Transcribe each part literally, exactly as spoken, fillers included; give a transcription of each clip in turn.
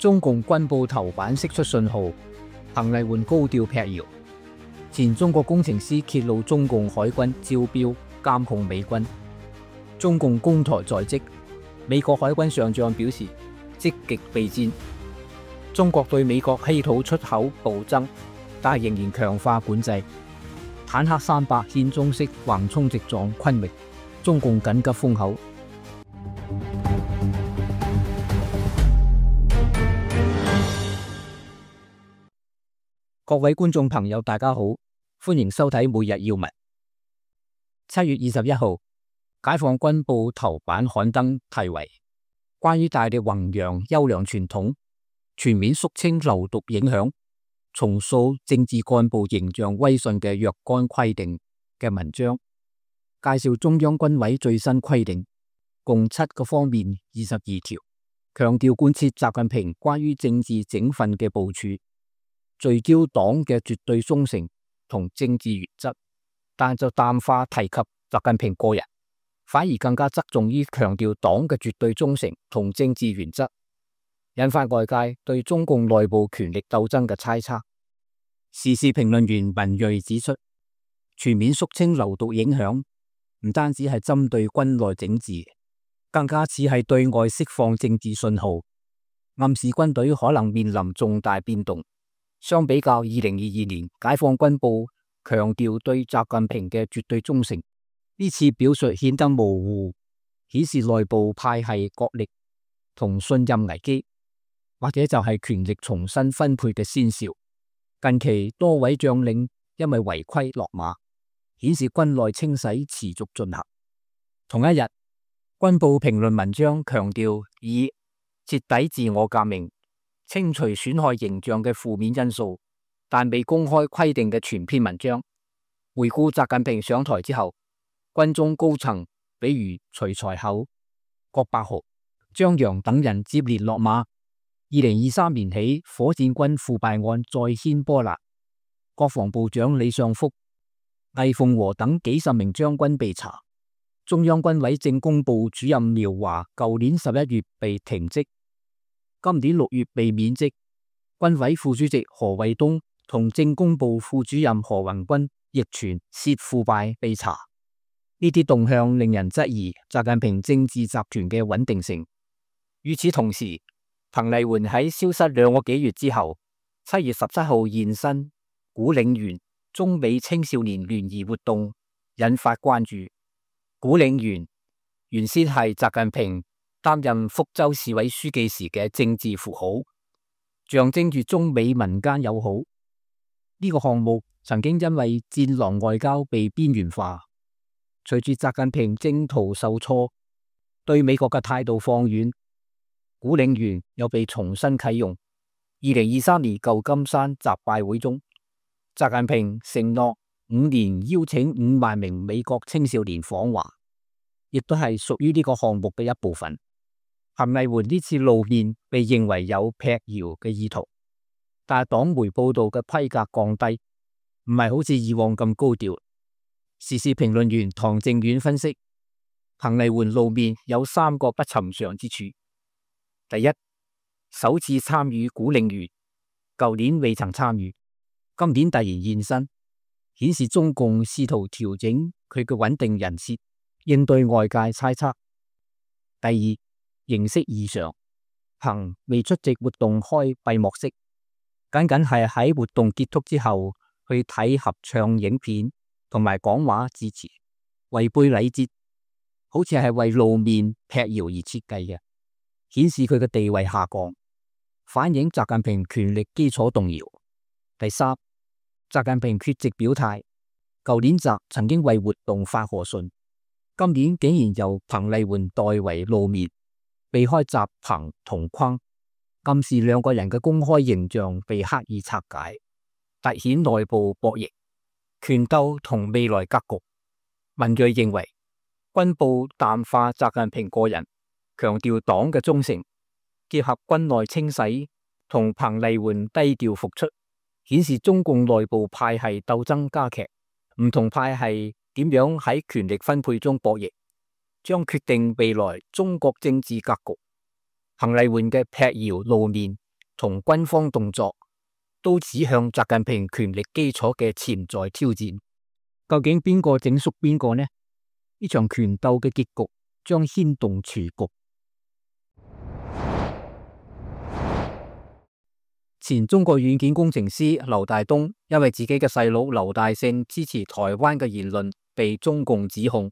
中共軍報頭版釋出信號，彭麗媛高調闢謠。前中國工程師揭露中共海軍招標監控美軍。中共攻台在即，美國海軍上將表示積極備戰。中國對美國稀土出口暴增，但仍然強化管制。坦克三百獻中式橫衝直撞昆明，中共緊急封口。各位觀眾朋友，大家好，歡迎收睇每日要聞。七月二十一號，解放軍報頭版刊登題為《關於大力弘揚優良傳統，全面肅清流毒影響，重塑政治幹部形象威信嘅若干規定》嘅文章，介紹中央軍委最新規定，共七個方面二十二條，強調貫徹習近平關於政治整訓嘅部署，聚焦黨嘅絕對忠誠同政治原則，但就淡化提及習近平個人，反而更加側重於強調黨嘅絕對忠誠同政治原則，引發外界對中共內部權力鬥爭嘅猜測。時事評論員文銳指出，全面肅清流毒影響唔單止係針對軍內整治，更加似係對外釋放政治信號，暗示軍隊可能面臨重大變動。相比較二零二二年解放軍報強調對習近平嘅絕對忠誠，呢次表述顯得模糊，顯示內部派系角力同信任危機，或者就係權力重新分配嘅先兆。近期多位將領因為違規落馬，顯示軍內清洗持續進行。同一日，軍報評論文章強調以徹底自我革命清除損害形象嘅負面因素，但未公開規定嘅全篇文章，回顧習近平上台之後，軍中高層比如徐才厚、郭伯豪、張楊等人接連落馬。二零二三年起，火箭軍腐敗案再掀波瀾，國防部長李尚福、魏鳳和等幾十名將軍被查。中央軍委政工部主任苗華舊年十一月被停職，今年六月被免職。軍委副主席何衛東同政工部副主任何宏軍亦傳涉腐敗被查。呢啲動向令人質疑習近平政治集團嘅穩定性。與此同時，彭麗媛喺消失兩個幾月之後，七月十七號現身古嶺園中美青少年聯誼活動，引發關注。古嶺園原先係習近平擔任福州市委書記時嘅政治符號，象徵住中美民間友好。呢個項目曾經因為戰狼外交被邊緣化，隨住習近平征途受挫，對美國嘅態度放軟，古嶺園又被重新啟用。二零二三年舊金山習拜會中，習近平承諾五年邀請五萬名美國青少年訪華，亦都係屬於呢個項目嘅一部分。彭麗媛呢次露面被認為有闢謠嘅意圖，但係黨媒報道嘅規格降低，唔係好似以往咁高調。時事評論員唐正遠分析，彭麗媛露面有三個不尋常之處。第一，首次參與古嶺園，舊年未曾參與，今年突然現身，顯示中共試圖調整佢嘅穩定人設，應對外界猜測。第二，形式異常，彭未出席活動開閉幕式，僅僅係喺活動結束之後去睇合唱影片同埋講話致辭，違背禮節，好似係為露面闢謠而設計嘅，顯示佢嘅地位下降，反映習近平權力基礎動搖。第三，習近平缺席表態，舊年習曾經為活動發賀信，今年竟然由彭麗媛代為露面，避開習彭同框，暗示兩個人嘅公開形象被刻意拆解，凸顯內部博弈、權鬥同未來格局。文銳認為，軍報淡化習近平個人，強調黨嘅忠誠，結合軍內清洗同彭麗媛低調復出，顯示中共內部派系鬥爭加劇，唔同派系點樣喺權力分配中博弈，將決定未來中國政治格局。彭麗媛嘅闢謠露面，同軍方動作，都指向習近平權力基礎嘅潛在挑戰。究竟邊個整縮邊個呢？呢場權鬥嘅結局將牽動全局。前中國軟件工程師劉大東因為自己嘅細佬劉大勝支持台灣嘅言論被中共指控，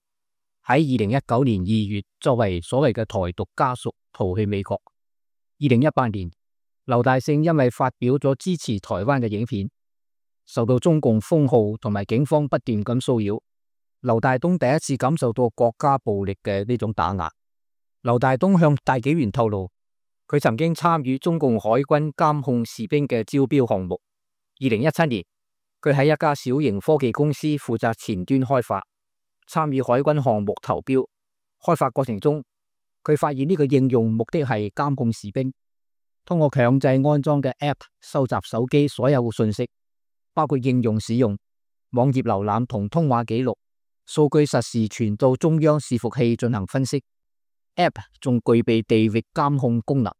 喺二零一九年二月作為所謂嘅台獨家屬逃去美國。二零一八年，劉大勝因為發表咗支持台灣嘅影片，受到中共封號同埋警方不斷咁騷擾。劉大東第一次感受到國家暴力嘅呢種打壓。劉大東向大紀元透露，佢曾經參與中共海軍監控士兵嘅招標項目。二零一七年，佢喺一家小型科技公司負責前端開發，參與海軍項目投標。開發過程中，佢發現呢個應用目的係監控士兵，通過強制安裝嘅 App 收集手機所有信息，包括應用使用、網頁瀏覽同通話記錄，數據實時傳到中央伺服器進行分析。App 仲具備地域監控功能，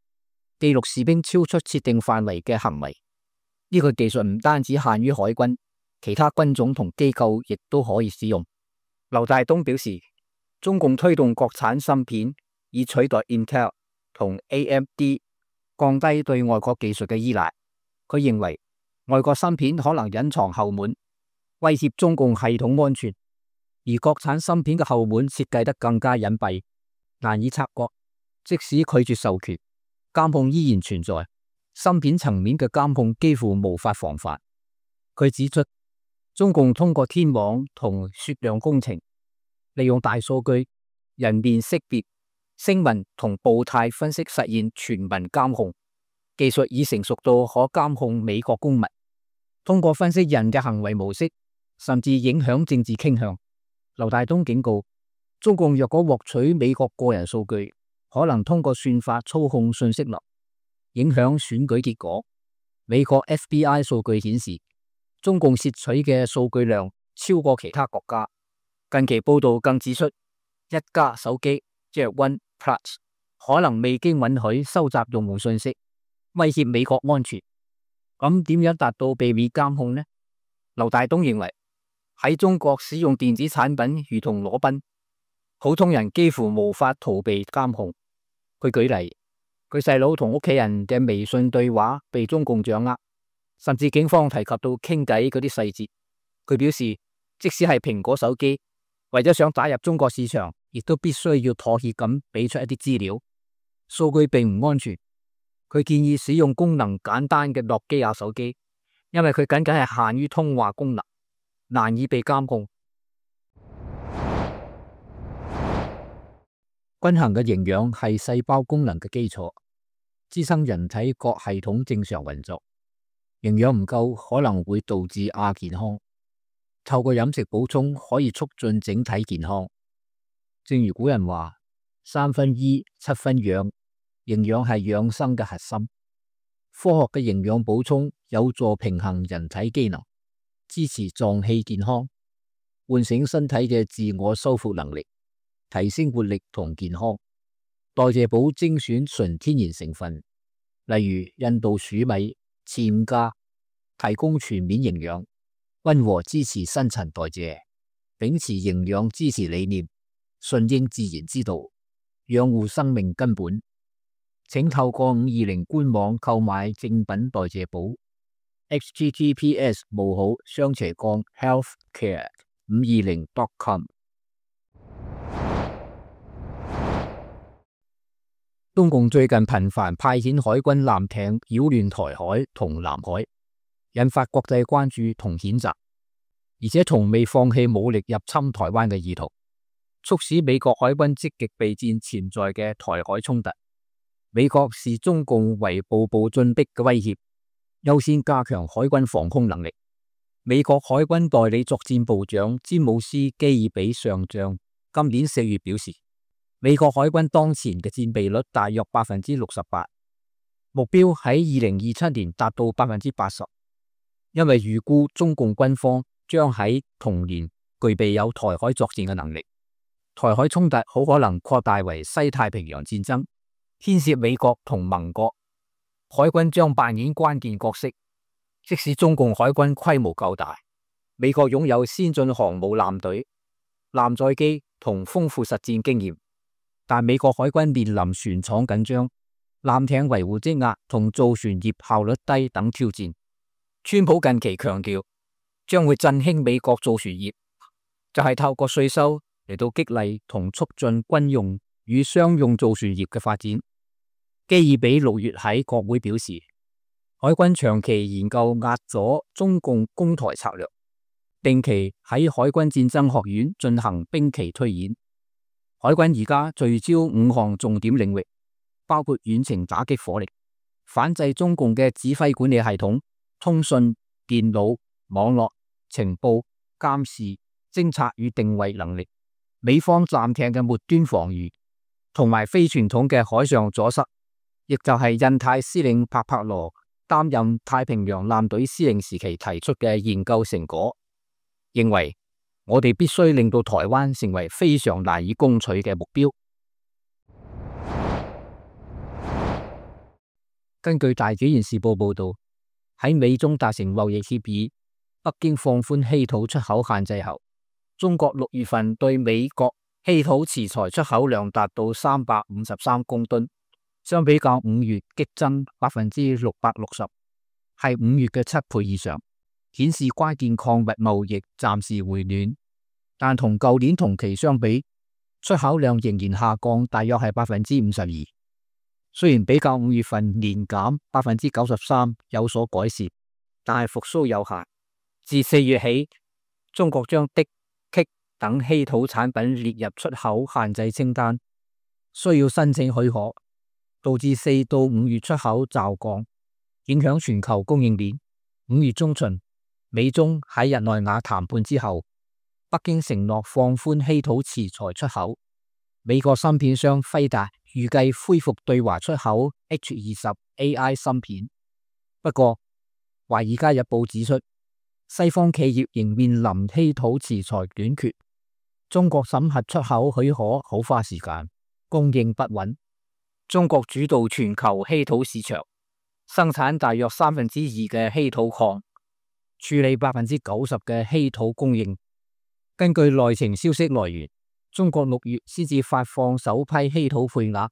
記錄士兵超出設定範圍嘅行為。呢個技術唔單止限於海軍，其他軍種同機構亦都可以使用。劉大東表示，中共推動國產芯片以取代 Intel 同 A M D， 降低對外國技術嘅依賴。佢認為外國芯片可能隱藏後門，威脅中共系統安全，而國產芯片嘅後門設計得更加隱蔽，難以察覺。即使拒絕授權，監控依然存在。芯片層面嘅監控幾乎無法防範。佢指出，中共通過天網同雪亮工程，利用大數據、人面識別、聲紋同步態分析實現全民監控。技術已成熟到可監控美國公民，通過分析人嘅行為模式，甚至影響政治傾向。劉大東警告，中共若果獲取美國個人數據，可能通過算法操控信息流，影響選舉結果。美國 F B I 數據顯示，中共竊取嘅數據量超過其他國家。近期報道更指出，一加手機即係 OnePlus 可能未經允許收集用戶信息，威脅美國安全。咁點樣達到避免監控呢？劉大東認為，喺中國使用電子產品如同裸奔，普通人幾乎無法逃避監控。佢舉例，佢細佬同屋企人嘅微信對話被中共掌握，甚至警方提及到傾偈嗰啲細節。佢表示，即使係蘋果手機，為咗想打入中國市場，亦都必須要妥協咁俾出一啲資料。數據並唔安全。佢建議使用功能簡單嘅諾基亞手機，因為佢僅僅係限於通話功能，難以被監控。均衡嘅營養係細胞功能嘅基礎，支撐人體各系統正常運作。營養唔夠可能會導致亞健康，透過飲食補充可以促進整體健康。正如古人話：三分醫，七分養，營養係養生嘅核心。科學嘅營養補充有助平衡人體機能，支持臟器健康，喚醒身體嘅自我修復能力，提升活力同健康。代謝補精選純天然成分，例如印度薯米、暹加，提供全面營養，溫和支持新陳代謝，秉持營養支持理念，順應自然之道，養護生命根本。請透過五二零官網購買正品代謝補 ：H T T P S 冒號雙斜槓 healthcare 五二零 dot com。中共最近頻繁派遣海軍艦艇擾亂台海同南海，引發國際關注同譴責，而且從未放棄武力入侵台灣嘅意圖，促使美國海軍積極備戰潛在嘅台海衝突。美國視中共為步步進逼嘅威脅，優先加強海軍防空能力。美國海軍代理作戰部長詹姆斯基爾比上將今年四月表示，美國海軍當前嘅戰備率大約百分之六十八，目標喺二零二七年達到百分之八十。因為預估中共軍方將喺同年具備有台海作戰嘅能力，台海衝突好可能擴大為西太平洋戰爭，牽涉美國同盟國。海軍將扮演關鍵角色。即使中共海軍規模夠大，美國擁有先進航母艦隊、艦載機同豐富實戰經驗，但美國海軍面臨船廠緊張、艦艇維護積壓同造船業效率低等挑戰。川普近期強調，將會振興美國造船業，就係透過稅收嚟到激勵同促進軍用與商用造船業嘅發展。基爾比六月喺國會表示，海軍長期研究壓阻中共攻台策略，定期喺海軍戰爭學院進行兵棋推演。海軍而家聚焦五項重點領域，包括遠程打擊火力、反制中共嘅指揮管理系統、通訊、電腦、網絡、情報、監視、偵察與定位能力、美方艦艇嘅末端防禦，同埋非傳統嘅海上阻塞，亦就係印太司令帕帕羅擔任太平洋艦隊司令時期提出嘅研究成果，認為我哋必須令到台灣成為非常難以攻取嘅目標。根據大紀元時報報道，喺美中達成貿易協議，北京放寬稀土出口限制後，中國六月份對美國稀土瓷材出口量達到三百五十三公噸。相比較五月激增百分之六百六十，係五月嘅七倍以上，顯示關鍵礦物貿易暫時回暖，但同舊年同期相比，出口量仍然下降，大約係百分之五十二。雖然比較五月份年減百分之九十三有所改善，但係復甦有限。自四月起，中國將銫、鋅等稀土產品列入出口限制清單，需要申請許可。導致四到五月出口驟降，影響全球供應鏈。五月中旬，美中喺日內瓦談判之後，北京承諾放寬稀土瓷材出口。美國芯片商輝達預計恢復對華出口 H 二十 A I 芯片。不過，華爾街日報指出，西方企業仍面臨稀土瓷材短缺，中國審核出口許可好花時間，供應不穩。中國主導全球稀土市場，生產大約三分之二嘅稀土礦，處理百分之九十嘅稀土供應。根據內情消息來源，中國六月先至發放首批稀土配額，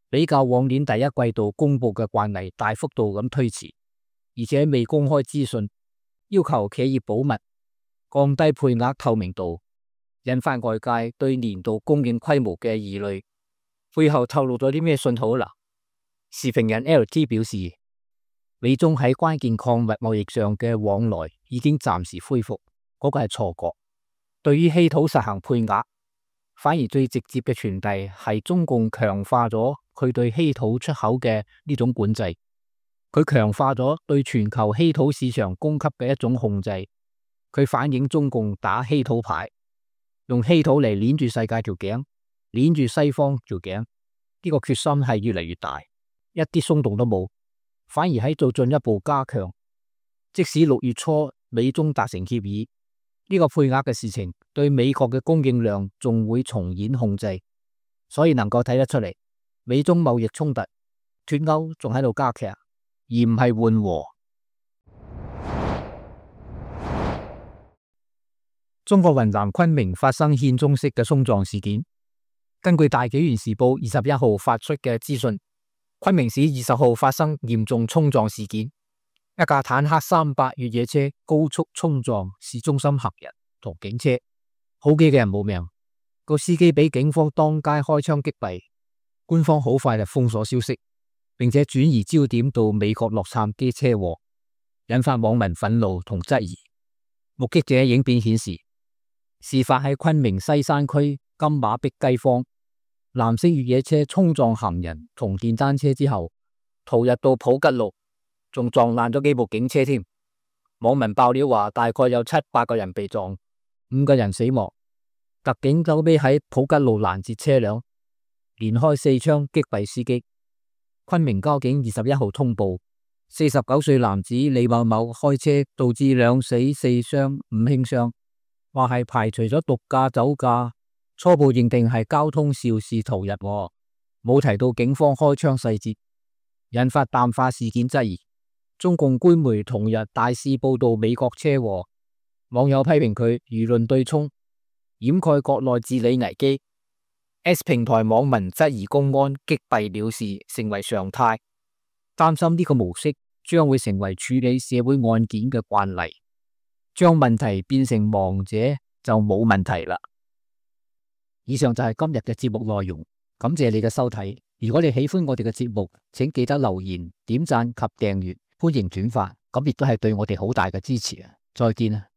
比較往年第一季度公布嘅慣例大幅度咁推遲，而且未公開資訊，要求企業保密，降低配額透明度，引發外界對年度供應規模嘅疑慮。背後透露咗啲咩信號啦？時評人 L T 表示，美中喺關鍵礦物貿易上嘅往來已經暫時恢復，嗰個係錯覺。對於稀土實行配額，反而最直接嘅傳遞係中共強化咗佢對稀土出口嘅呢種管制，佢強化咗對全球稀土市場供給嘅一種控制，佢反映中共打稀土牌，用稀土嚟鏈住世界條頸。鏈住西方條頸，呢個決心係越嚟越大，一啲鬆動都冇，反而喺做進一步加強。即使六月初美中達成協議，呢個配額嘅事情對美國嘅供應量仲會重演控制，所以能夠睇得出嚟，美中貿易衝突脫鈎仲喺度加劇，而唔係緩和。中國雲南昆明發生獻中式嘅衝撞事件。根據大紀元時報二十一號發出嘅資訊，昆明市二十號發生嚴重衝撞事件，一架坦克三百越野車高速衝撞市中心行人同警車，好幾個人冇命，個司機俾警方當街開槍擊斃。官方好快就封鎖消息，並且轉移焦點到美國洛杉磯車禍，引發網民憤怒同質疑。目擊者影片顯示，事發喺昆明西山區金馬碧雞坊，藍色越野車衝撞行人同電單車之後，逃入到普吉路，仲撞爛咗幾部警車添。網民爆料話，大概有七八個人被撞，五個人死亡。特警後尾喺普吉路攔截車輛，連開四槍擊斃司機。昆明交警二十一號通報，四十九歲男子李某某開車導致兩死四傷五輕傷。話係排除咗毒駕酒駕，初步認定係交通肇事逃逸，冇提到警方開槍細節。引發淡化事件質疑。中共官媒同日大肆報道美國車禍，網友批評佢輿論對沖，掩蓋國內治理危機。X 平台網民質疑公安擊斃了事成為常態，擔心呢個模式將會成為處理社會案件嘅慣例，將問題變成亡者就冇問題啦。以上就係今日嘅節目內容，感謝你嘅收睇。如果你喜歡我哋嘅節目，請記得留言、點讚及訂閱，歡迎轉發，咁亦都係對我哋好大嘅支持啊！再見啊！